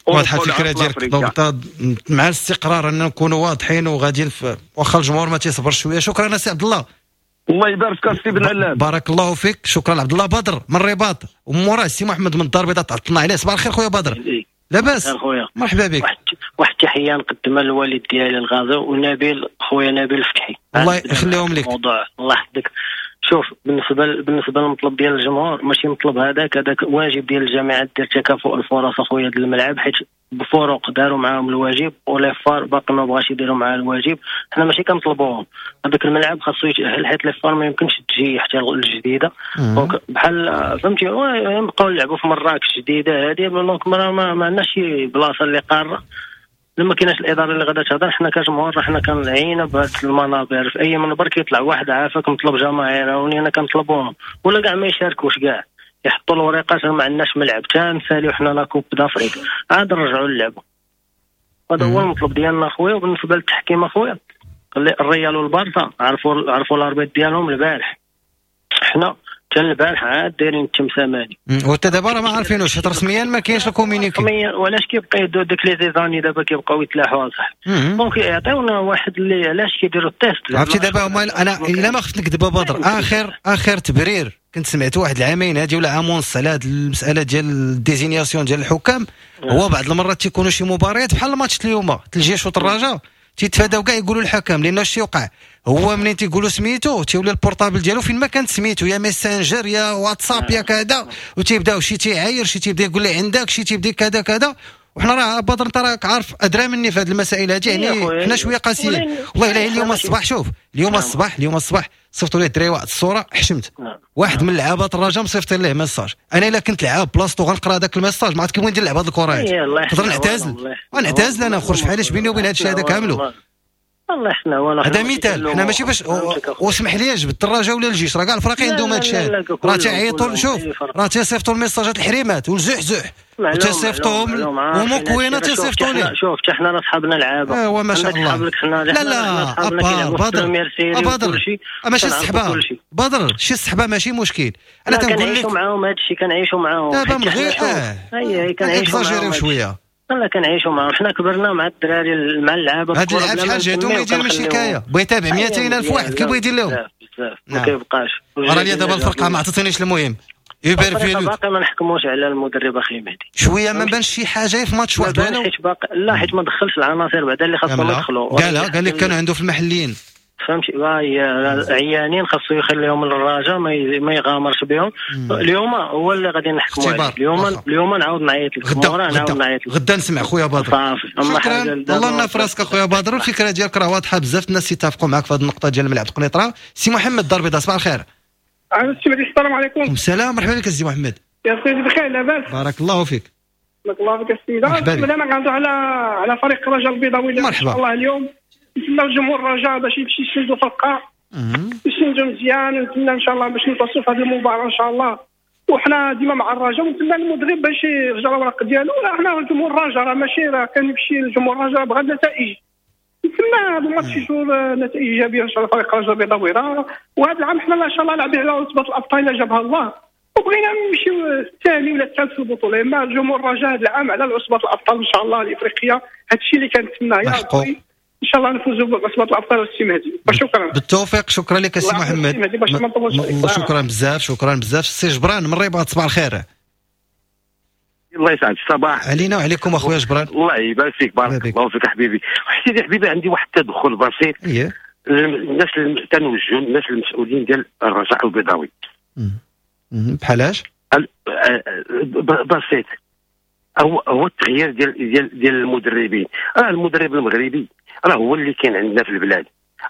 واضحة الفكرة ديالك. donc مع الاستقرار ان نكونوا واضحين وغاديين، واخا الجمهور ما تيصبرش شوية. شكرا سي عبد الله. الله يبارك فيك سي بن علام، بارك الله فيك. شكرا عبد الله بدر من الرباط، وموراه سي محمد من الدار البيضاء تعطلنا عليه. صباح الخير خويا بدر، لاباس؟ مرحبا بك. واحد التحية نقدمها للوالد ديالي الغازي ونبيل خويا نبيل الفتحي، الله يخليهم لك. الموضوع الله يحفظك. شوف بالنسبة للمطلب ديال الجمهور، ماشي مطلب هذاك واجب ديال الجامعات ديال تكافؤ الفرص اخويا ديال الملعب، حيت بفرق داروا معاهم الواجب و les FAR باقي ما بغاش يديروا معاه الواجب. حنا ماشي كنطلبوهم، هذاك الملعب خاصو يتاهل حيت les FAR ما يمكنش تجي حتى الجديدة. donc بحال فهمتي نبقاو نلعبوا في مراكش الجديدة هذه، donc ما عندناش شي بلاصة اللي قارة. لما كايناش الادارة اللي غادا تهضر، حنا كجمهور حنا كنعينا بهاد المنابر. في اي منبر كيطلع واحد عافاك مطلب جماهير، ولينا كنطلبوهم ولا كاع ما يشاركوش، كاع يحطوا الوريقات ما عندناش ملعب تا نساليو حنا la Coupe d'Afrique عاد نرجعوا نلعبوا. هذا هو المطلب ديالنا خويا. وبالنسبة للتحكيم اخويا، الريال والبارسا عرفوا ال arbitre ديالهم البارح، حنا حتى البارح عاد دايرين التمساماني، وحتى دابا راه ما عارفينوش حيت رسميا ما كاينش ال communiqué. وعلاش كيبقى يدو داك les zizanies دابا كيبقاو يتلاحوا صح. donc يعطيونا واحد اللي علاش كيديروا ال test. عرفتي دابا هما انا الا ما خفت نكذب بدر، اخر تبرير كنت سمعت واحد العامين هادي ولا عام ونص على هاد المسالة ديال ال désignation ديال الحكام، هو بعض المرات تيكونوا شي مباريات بحال الماتش اليوم الجيش والراجا تيتفاداو كاع يقولوا الحكم، لان اش يوقع هو منين تيقولوا سميتو تيولي ال portable ديالو فين ما كانت سميتو، يا ميسنجر يا واتساب يا كذا، وتيبداو شي تيعاير شي تيبدا يقول لي عندك شي تيبدا كذا كذا. وحنا راه بدر انت راك عارف ادرى مني في هذه المسائل هذه، يعني حنا شوية قاسيين والله. الا اليوم الصباح شوف، اليوم الصباح صيفطوا لي الدراري واحد الصورة حشمت. واحد من لعابات الرجاء مصيفط ليه message، انا الا كنت لعاب بلاصتو غنقرا هذاك ال message ما عرفت كيف ندير نلعب هذه الكره هذه، نقدر نعتزل ونعتزل انا نخرج بحال اش بيني وبين هذا الشيء هذا كاملو. الله يحسن عوانة. هذا مثال، حنا ماشي باش واسمح لي جبت الرجاء ولا الجيش، راه كاع الفراقي عندهم هذا الشيء، راه تيعيطوا شوف راه تيصيفطوا الميساجات الحريمات والزحزح وتيصيفطوهم ومكوينه تيصيفطوا ليه. شوف حتى حنا راه صحابنا لعابه، ايوا ما شاء الله. لا لا بدر بدر ماشي الصحبة، بدر شي الصحبة ماشي مشكل. انا تنقول لك كنعيشوا معاهم هذا الشيء، كنعيشوا معاهم دابا من غير اي كنعيشوا معاهم شوية، لا كنعيشوا معاهم. حنا كبرنا مع الدراري مع اللعابه. هاد اللعاب شحال جاتهم يدير من شكاية، بغى يتابع 200,000 واحد كيف بغى يدير لهم؟ بزاف ما كيبقاش. راه لي دابا الفرقة ما عطاتنيش. المهم يبان فيه باقي ما نحكموش على المدرب اخي مهدي شوية، ما بانش شي حاجة في ماتش واحد ولا حيت باقي، لا حيت ما دخلش العناصر بعدا اللي خاصهم يدخلوا. قال لك كانوا عنده في المحليين، فهمتي؟ عيانين خاصو يخليهم للرجاء ما يغامرش بهم. اليوم هو اللي غادي نحكموا عليه. اليوم نعاود نعيط لك، نعاود نعيط لك غدا نسمع خويا بدر. شكرا الله لنا في راسك اخويا بدر، الفكرة ديالك راه واضحة بزاف، الناس يتفقوا معك في هذه النقطة ديال الملعب القنيطره. سي محمد دار البيضاء صباح الخير. السلام عليكم. السلام، مرحبا بك سي محمد. يا سيدي بخير لاباس؟ بارك الله فيك. بارك الله فيك السيدة. انا غنهضر على فريق الرجاء البيضاوي. مرحبا. الله اليوم نتمنى الجمهور الرجاء باش يمشي يسجلوا فرقه نسندو مزيان، ونتمنى ان شاء الله باش نتوصلوا في هذه المباراة ان شاء الله. وحنا ديما مع الرجاء، ونتمنى المدرب باش يرجع الأوراق ديالو. راه حنا جمهور الرجاء راه ماشي راه كنمشي لجمهور الرجاء بغا النتائج. نتمنى هذا الماتش يشوف نتائج ايجابية ان شاء الله فريق الرجاء البيضاوي. وهذا العام حنا ان شاء الله لاعبين على عصبه الابطال الا جابها الله، وبغينا نمشيو الثاني ولا الثالث في البطولة. اما جمهور الرجاء هذا العام على عصبه الابطال ان شاء الله الافريقية، هذا الشيء اللي كنتمناه يا ربي ان شاء الله نفوزوا بعصبه الابطال والسي مهدي. وشكرا. بالتوفيق. شكرا لك السي محمد. شكرا بزاف، شكرا بزاف. السي جبران من الرباط، صباح الخير. الله يسعد الصباح علينا وعليكم اخويا جبران. الله يبارك فيك، بارك الله فيك حبيبي. سيدي حبيبي، عندي واحد التدخل بسيط. الناس تنوجهوا الناس المسؤولين ديال الرجاء البيضاوي. بحالاش؟ بسيط، هو التغيير ديال ديال ديال المدربين. راه المدرب المغربي راه هو اللي كاين عندنا في البلاد،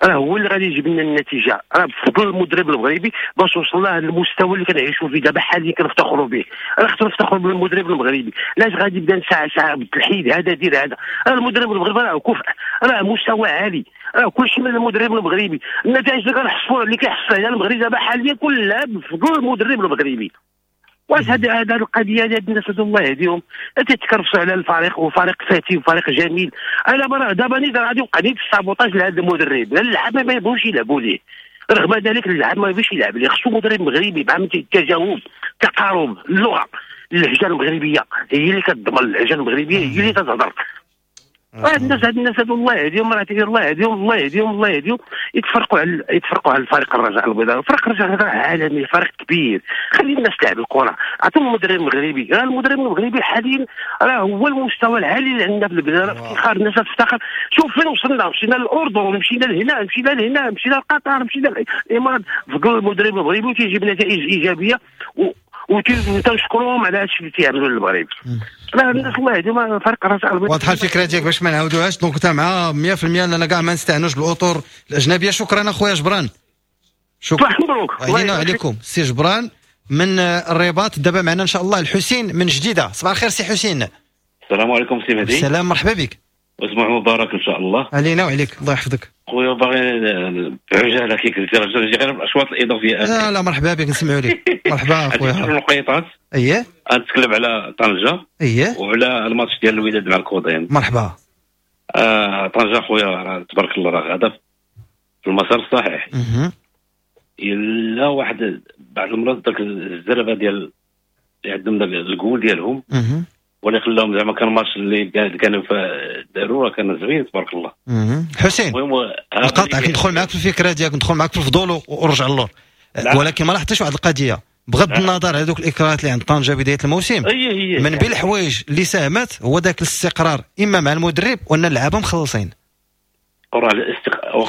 راه هو اللي غادي يجيب لنا النتيجة. راه بفضل المدرب المغربي باش وصلنا للمستوى اللي كنعيشوا فيه دابا حاليا كنفتخروا به. راه خصنا نفتخروا بالمدرب المغربي. لاش غادي يبدا ساعة ساعة بالتلحيد هذا دير هذا؟ راه المدرب المغربي راه كفء، راه مستوى عالي، راه كلشي من المدرب المغربي. النتائج اللي كنحصلوا اللي كيحصل عليها المغرب دابا حاليا كلها بفضل المدرب المغربي. واش هذه القضية ديال الناس هادو الله يهديهم تيتكرفسوا على الفريق، وفريق فاتي وفريق جميل. انا دابا نيت غادي يوقع نيت ال sabotage لهذا المدرب، اللعابه ما يبغوش يلعبوا ليه، رغم ذلك اللعاب ما يبغيش يلعب ليه. خصو مدرب مغربي مع التجاوب، التقارب، اللغة، اللهجة المغربية هي اللي كتضمن، اللهجة المغربية هي اللي تتهضر. الناس هاد الناس هادو الله يهديهم، راه الله يهديهم، الله يهديهم، الله يهديهم. يتفرقوا على الفريق الرجاء البيضاوي. فريق الرجاء البيضاوي عالمي، فريق كبير، خلي الناس تلعب الكره. عطيهم المدرب المغربي، راه المدرب المغربي حاليا راه هو المستوى العالي اللي عندنا في البلاد. راه افتخار، الناس تفتخر. شوف فين وصلنا، مشينا للاردن، مشينا لهنا، مشينا لهنا، مشينا لقطر، مشينا للامارات. بفضل المدرب المغربي وتيجيب نتائج ايجابية وتنشكرهم على هادشي اللي تيعملوا للمغرب. راه الناس الله يهديهم فريق الرجاء البيضاوي. واضحة الفكرة ديالك باش ما نعاودوهاش. donc انت مع 100% اننا كاع ما نستعنوش بالاطر الاجنبية. شكرا اخويا جبران. شكرا. مبروك علينا وعليكم سي جبران من الرباط. دابا معنا ان شاء الله الحسين من جديدة. صباح الخير سي حسين. السلام عليكم سي مهدي. السلام، مرحبا بك. اسبوع مبارك ان شاء الله. علينا وعليك، الله يحفظك. خويا باغي بعجاله كي قلت غير الاشواط الاضافية. لا لا مرحبا بك، نسمعوا لك. مرحبا اخويا. النقيطات. اييه غنتكلم على طنجه. اييه وعلى الماتش ديال الوداد مع الكوضيم. مرحبا. طنجه خويا تبارك الله راه غادا في المسار الصحيح. الا واحد بعض المرات داك الزربه ديال اللي عندهم داك الجول ديالهم ولا خلاهم زعما كان ماتش اللي كانوا داروا راه كان زوين تبارك الله. حسين نقاطعك، ندخل معاك في الفكرة ديالك، ندخل معاك في الفضول ورجع للور، ولكن ما لاحظتش واحد القضية بغض النظر على دوك الاكراهات اللي عند طنجه بداية الموسم. من بين الحوايج اللي ساهمت هو ذاك الاستقرار اما مع المدرب وان اللعابه مخلصين.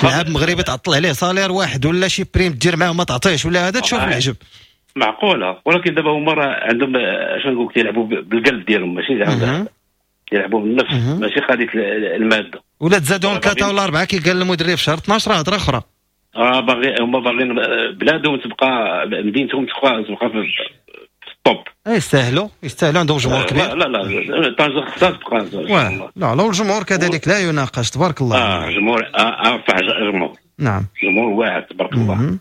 لاعب مغربي تعطل عليه salaire واحد ولا شي prime دير معاه وما تعطيهش ولا هذا تشوف العجب. معقولة، ولكن دابا هما راه عندهم اش نقول لك تيلعبوا بالقلب ديالهم، ماشي زعما يلعبوا بالنفس، ماشي قضية المادة. ولا تزادهم 3 ولا 4 كي قال المدرب في شهر 12 راه هضره اخرى. باغي هما باغيين بلادهم تبقى، مدينتهم تبقى في ال top. يستاهلوا، يستاهلوا، عندهم جمهور كبير. لا لا طنجة خصها تبقى. لا لا الجمهور كذلك لا يناقش تبارك الله. جمهور ارفع جمهور. نعم جمهور واعر تبارك الله.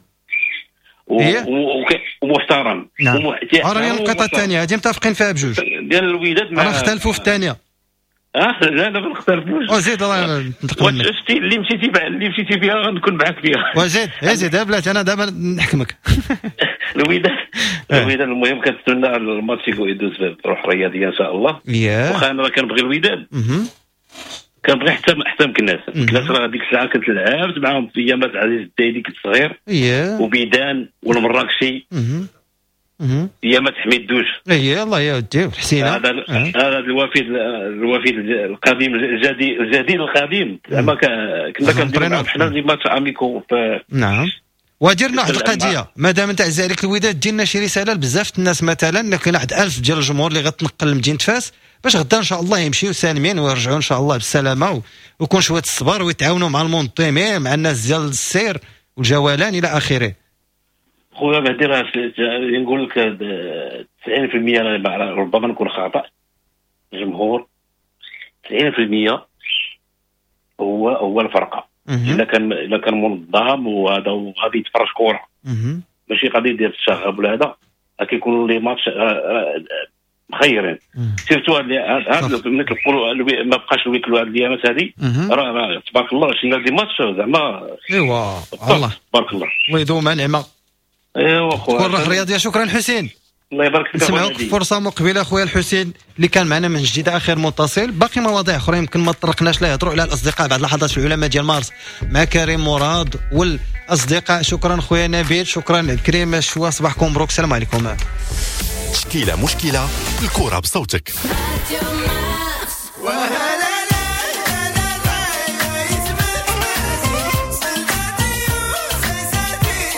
ومحترم. نعم. راه النقطة الثانية هذه متفقين فيها بجوج ديال الوداد مع اختلفوا في الثانية. لا لا ما نختلفوش. وزيد الله ننتقم منك. شتي اللي مشيتي فيها غنكون معاك فيها. وزيد زيد بلاتي انا دابا نحكمك. الوداد المهم كنتمنى الماتش يدوز بروح رياضية ان شاء الله. واخا انا كنبغي الوداد. كنبغي حتى مكناس. مكناس راه ديك الساعة كنت لعبت معاهم في ايامات عزيز الدايدي كنت صغير. وبيدان والمراكشي. ايامات حميد دوش. الله يا ودي الحسينه. هذا الوفيد القديم الجديد القديم زعما كنا كنديروا معاهم حنا des matchs amicaux. نعم. وديرنا واحد القضية، مادام انت عزيز عليك الوداد ديرنا شي رسالة لبزاف الناس، مثلا كاين واحد 1000 ديال الجمهور اللي غتنقل لمدينة فاس باش غدا ان شاء الله يمشيو سالمين ويرجعوا ان شاء الله بالسلامة، ويكون شوية الصبر ويتعاونوا مع المنظمين مع الناس ديال السير والجولان الى اخره. خويا مهدي راه نقول لك 90% ربما نكون خطا، الجمهور 90% هو الفرقة. الا كان منظم وهذا وغادي يتفرج كره، ماشي غادي يدير الشغب ولا هذا، كيكونوا les matchs مخيرين. surtout هاد ملي كنقولوا ما بقاش ال huis clos هاد الايامات هادي، راه تبارك الله شفنا des matchs زعما. ايوا الله تبارك الله، الله يدوم نعمه. ايوا خويا تكون روح رياضية. شكرا حسين، الله يبارك فيك. نسمعوك فرصة مقبله خويا الحسين اللي كان معنا من جديد اخر متصل. باقي مواضيع اخرى يمكن ما تطرقناش لها، يهضروا على الاصدقاء بعد لحظات العلماء ديال مارس مع كريم مراد والاصدقاء. شكرا خويا نبيل، شكرا كريم شوا، صباحكم مبروك، السلام عليكم. تشكيله مشكلة، الكره بصوتك.